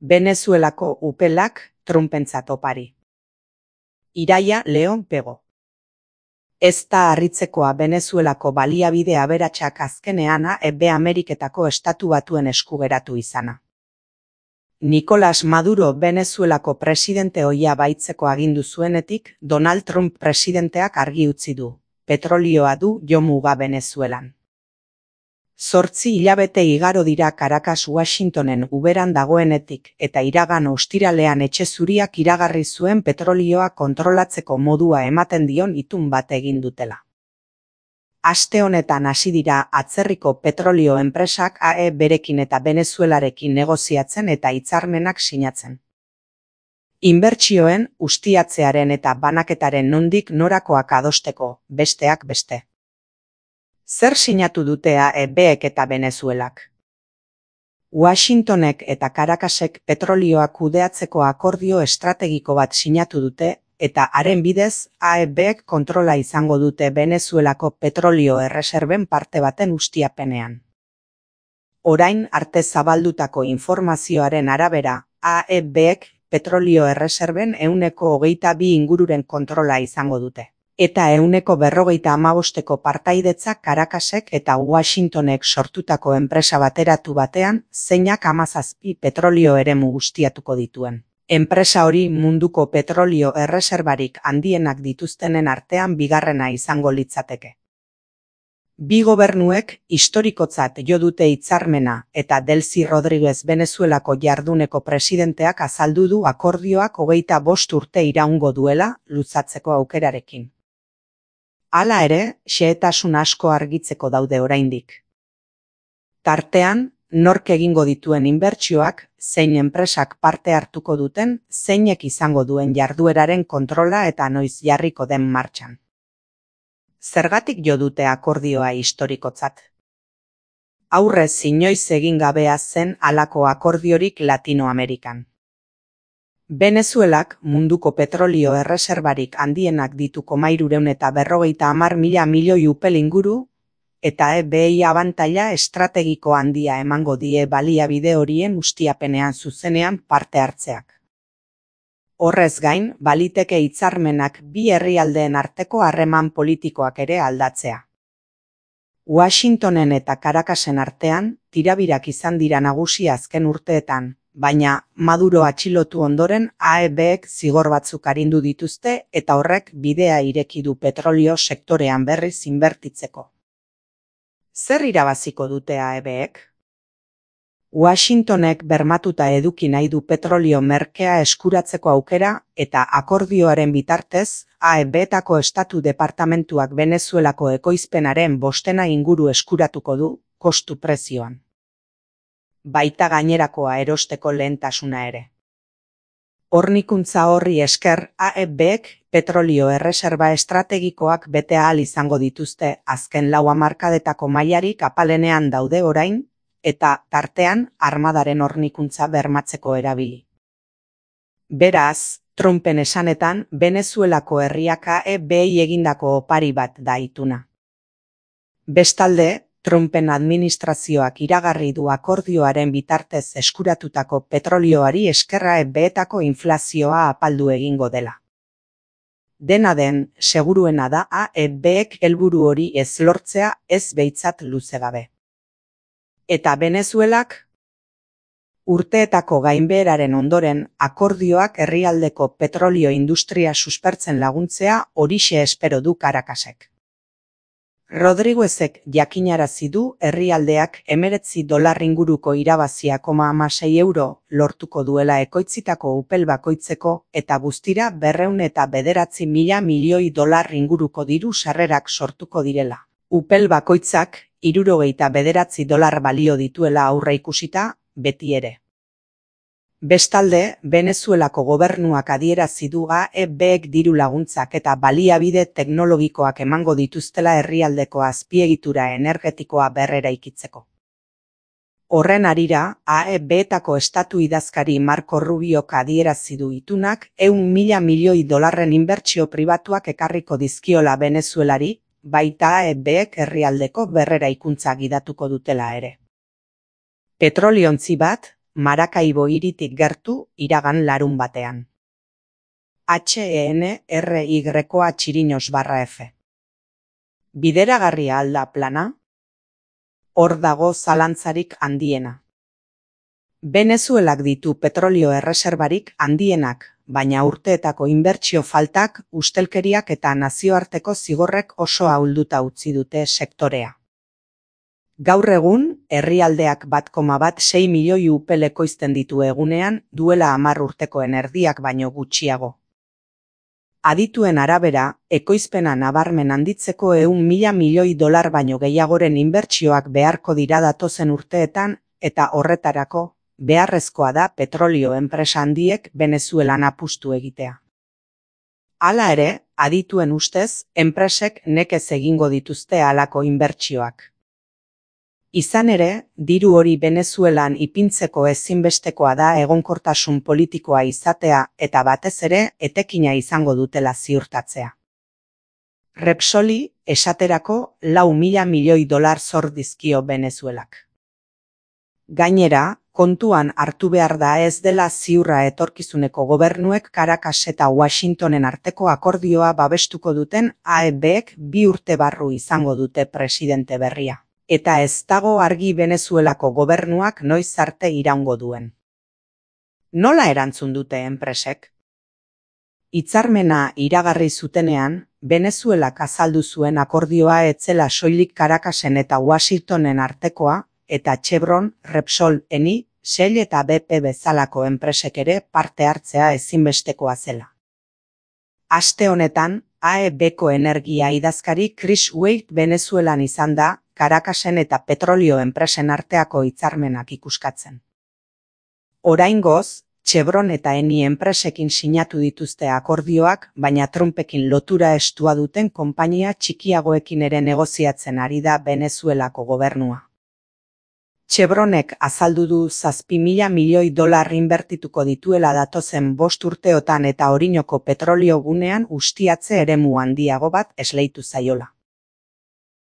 Venezuelako upelak Trumpentzat opari. Iraia Leon Pego. Ez da harritzekoa Venezuelako baliabide aberatsak azkenean Ameriketako Estatu Batuen esku geratu izana. Nicolás Maduro Venezuelako presidente ohia baitzeko agindu zuenetik, Donald Trump presidenteak argi utzi du, petrolioa du jomuga Venezuelan. 8 hilabete igaro dira Caracas Washingtonen uberan dagoenetik eta iragan ostiralean etxe zuriak iragarri zuen petrolioa kontrolatzeko modua ematen dion itun bat egin dutela. Aste honetan hasi dira atzerriko petrolio enpresak berekin eta Venezuelarekin negoziatzen eta hitzarmenak sinatzen. Inbertsioen, ustiatzearen eta banaketaren nondik norakoak adosteko, besteak beste. Zer sinatu dute AEBek eta Venezuelak? Washingtonek eta Caracasek petrolioa kudeatzeko akordio estrategiko bat sinatu dute, eta haren bidez AEBek kontrola izango dute Venezuelako petrolio erreserben parte baten ustiapenean. Orain arte zabaldutako informazioaren arabera, AEBek petrolio erreserben 22% ingururen kontrola izango dute. Eta 155% partaidetza Caracasek eta Washingtonek sortutako enpresa bateratu batean, zeinak 17 petrolio eremu ustiatuko dituen. Enpresa hori munduko petrolio erreserbarik handienak dituztenen artean bigarrena izango litzateke. Bi gobernuek historikotzat jo dute hitzarmena eta Delcy Rodríguez Venezuelako jarduneko presidenteak azaldu du akordioak 25 urte iraungo duela luzatzeko aukerarekin. Hala ere, xehetasun asko argitzeko daude oraindik. Tartean, nork egingo dituen inbertsioak, zein enpresak parte hartuko duten, zeinek izango duen jardueraren kontrola eta noiz jarriko den martxan. Zergatik jo dute akordioa historikotzat? Aurrez inoiz egin gabea zen halako akordiorik Latinoamerikan. Venezuelak munduko petrolio erreserbarik handienak ditu 350.000 milioi upel inguru, eta EBI abantaila estrategiko handia emango die baliabide horien ustiapenean zuzenean parte hartzeak. Horrez gain, baliteke hitzarmenak bi herrialdeen arteko harreman politikoak ere aldatzea. Washingtonen eta Caracasen artean, tirabirak izan dira nagusi azken urteetan, baina Maduro atxilotu ondoren AEBek zigor batzuk arindu dituzte eta horrek bidea ireki du petrolio sektorean berriz inbertitzeko. Zer irabaziko dute AEBek? Washingtonek bermatuta eduki nahi du petrolio merkea eskuratzeko aukera eta akordioaren bitartez AEBetako estatu departamentuak Venezuelako ekoizpenaren 5% inguru eskuratuko du kostu prezioan. Baita gainerakoa erosteko lehentasuna ere. Hornikuntza horri esker AEBek petrolio erreserba estrategikoak bete ahal izango dituzte azken 4 hamarkadetako mailarik apalenean daude orain, eta tartean armadaren hornikuntza bermatzeko erabili. Beraz, Trumpen esanetan Venezuelako herriak AEBei egindako opari bat da ituna. Bestalde, Trumpen administrazioak iragarri du akordioaren bitartez eskuratutako petrolioari eskerra AEBetako inflazioa apaldu egingo dela. Dena den, seguruena da AEBek helburu hori ez lortzea ez behintzat luze gabe. Eta Venezuelak? Urteetako gainbeheraren ondoren, akordioak herrialdeko petrolio industria suspertzen laguntzea horixe espero du Caracasek. Rodríguezek jakinarazi du herrialdeak $19 inguruko irabazia €6 lortuko duela ekoitzitako upel bakoitzeko eta guztira $209.000 milioi inguruko diru sarrerak sortuko direla. Upel bakoitzak $69 balio dituela aurreikusita, beti ere. Bestalde, Venezuelako gobernuak adierazi du AEBek diru laguntzak eta baliabide teknologikoak emango dituztela herrialdeko azpiegitura energetikoa berreraikitzeko. Horren harira, AEBetako estatu idazkari Marco Rubiok adierazi du itunak $100.000 milioi inbertsio pribatuak ekarriko dizkiola Venezuelari, baita AEBek herrialdeko berreraikuntza gidatuko dutela ere. Petroliontzi bat, Maracaibo hiritik gertu iragan larunbatean. HENRY-F. Bideragarria al da plana? Hor dago zalantzarik handiena. Venezuelak ditu petrolio erreserbarik handienak, baina urteetako inbertsio faltak, ustelkeriak eta nazioarteko zigorrek oso ahulduta utzi dute sektorea. Gaur egun, herrialdeak 1,6 milioi upel ekoizten ditu egunean, duela 10 urtekoen erdiak baino gutxiago. Adituen arabera, ekoizpena nabarmen handitzeko 100.000 milioi dolar baino gehiagoren inbertsioak beharko dira datozen urteetan, eta horretarako, beharrezkoa da petrolio enpresa handiek Venezuelan apustu egitea. Hala ere, adituen ustez, enpresek nekez egingo dituzte halako inbertsioak. Izan ere, diru hori Venezuelan ipintzeko ezinbestekoa da egonkortasun politikoa izatea eta batez ere etekina izango dutela ziurtatzea. Repsoli, esaterako, 4.000 milioi dolar zor dizkio Venezuelak. Gainera, kontuan hartu behar da ez dela ziurra etorkizuneko gobernuek Caracas eta Washingtonen arteko akordioa babestuko duten AEBek 2 urte barru izango dute presidente berria. Eta ez dago argi Venezuelako gobernuak noiz arte iraungo duen. Nola erantzun dute enpresek? Hitzarmena iragarri zutenean, Venezuelak azaldu zuen akordioa ez zela soilik Caracasen eta Washingtonen artekoa, eta Chevron, Repsol, Eni, Shell eta BP bezalako enpresek ere parte hartzea ezinbestekoa zela. Aste honetan, AEBko energia idazkari Chris Wade Venezuelan izan da, Caracasen eta petrolio enpresen arteako hitzarmenak ikuskatzen. Oraingoz, Chevron eta Eni enpresekin sinatu dituzte akordioak, baina Trumpekin lotura estua duten konpainia txikiagoekin ere negoziatzen ari da Venezuelako gobernua. Chevronek azaldu du 7.000 milioi dolar inbertituko dituela datozen 5 urteotan eta Orinoko petrolio gunean ustiatze eremu handiago bat esleitu zaiola.